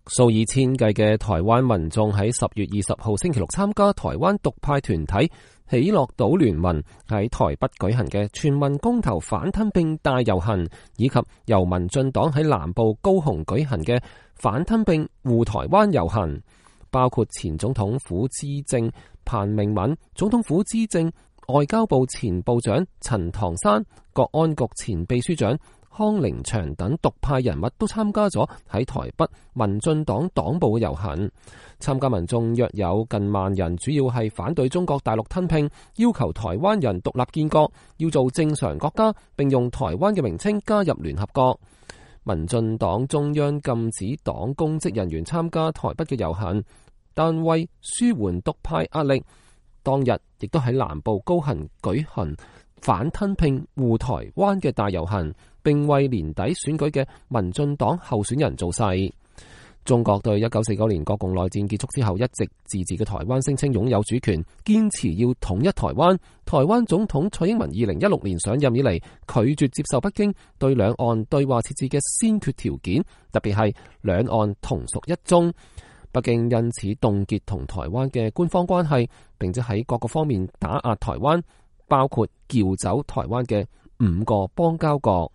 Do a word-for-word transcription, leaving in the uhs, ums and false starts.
數以千計嘅台灣民眾喺十月二十號星期六參加台灣獨派團體喜樂島聯盟喺台北舉行嘅全民公投反吞併大遊行，以及由民進黨喺南部高雄舉行嘅反吞併護台灣遊行，包括前總統府資政彭明敏、總統府資政外交部前部長陳唐山、國安局前秘書長康寧祥等獨派人物都參加咗喺台北民進黨黨部嘅遊行。參加民眾約有近萬人，主要係反對中國大陸吞併，要求台灣人獨立建國，要做正常國家，並用台灣嘅名稱加入聯合國。民進黨中央禁止黨公職人員參加台北嘅遊行，但為舒緩獨派壓力，當日亦都喺南部高雄舉行反吞併護台灣嘅大遊行，並為年底選舉嘅民進黨候選人造勢。中國對一九四九年國共內戰結束之後一直自治嘅台灣聲稱擁有主權，堅持要統一台灣。台灣總統蔡英文二零一六年上任以嚟，拒絕接受北京對兩岸對話設置嘅先決條件，特別係兩岸同屬一中。北京因此凍結同台灣嘅官方關係，並且喺各個方面打壓台灣，包括撬走台灣嘅五個邦交國。